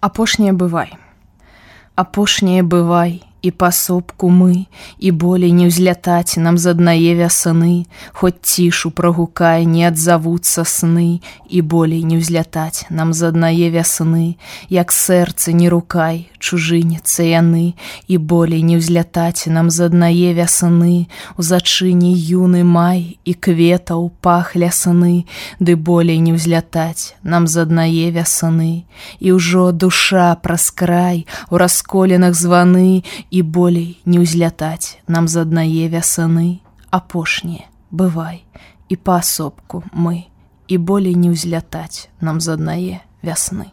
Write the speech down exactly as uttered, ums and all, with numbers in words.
Апошняе бывай. Апошняе бывай, і пасобку мы, і болей не ўзлятаць нам з аднае вясны, хоць цішу прагукай, не адзавуцца сны, і болей не ўзлятаць нам з аднае вясны, як сэрцы не рукай, чужыняцца яны, і болей не ўзлятаць нам з аднае вясны, у зачыне юны май і кветаў пах лясны, ды болей не ўзлятаць нам з аднае вясны, і ўжо душа праз край у расколінах званы, і болей не ўзлятаць нам з аднае вясны. Апошняе бывай, і паасобку мы, і болей не ўзлятаць нам з аднае вясны.